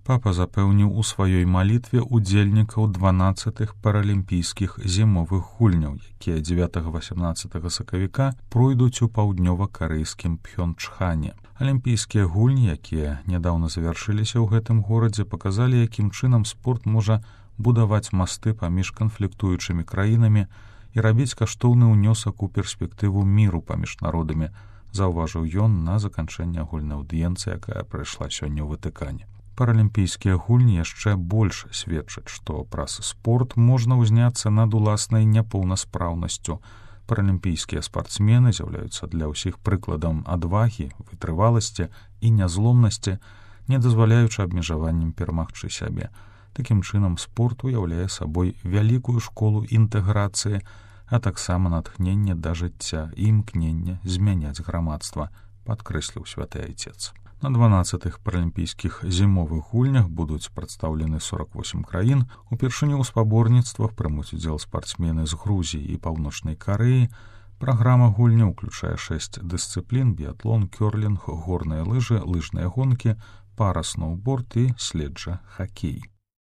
Папа запэўніў у сваёй малітве удзельнікаў 12-х паралімпійскіх зімовых гульняў, якія 9-18 сакавіка пройдуць у паўднёва-карэйскім Пхёнчхане. Алімпійскія гульні, якія нядаўна завяршыліся ў гэтым горадзе, паказалі, якім чынам спорт можа будаваць масты паміж канфліктуючымі краінамі і рабіць каштоўны ўнёсак у перспектыву міру паміж народамі, заўважыў ён на заканчэнне агульнай аўдыенцыі, якая прайшла сёння ў Ватыкане. Паралімпійскія гульні яшчэ больш сведчаць, што праз спорт можна ўзняцца над уласнай няпоўнаспраўнасцю. Паралімпійскія спартсмены з'яўляюцца для ўсіх прыкладам адвагі, вытрываласці і нязломнасці, не дазваляючы абмежаваннем перамагчы сябе. Такім чынам спорт уяўляе сабой вялікую школу інтэграцыі, а таксама натхненне да жыцця і імкненне змяняць грамадства, падкрэсліў святы айцец. На 12-х паралімпійскіх зімовых гульнях будуць прадстаўлены 48 краін. Упершыню ў спаборніцтвах прымуць удзел спартсмены з Грузіі і Паўночнай Карэі. Праграма гульняў уключае 6 дысцыплін: біятлон, кёрлінг, горныя лыжы, лыжныя гонкі, пара-сноўборд і следжа-хакей.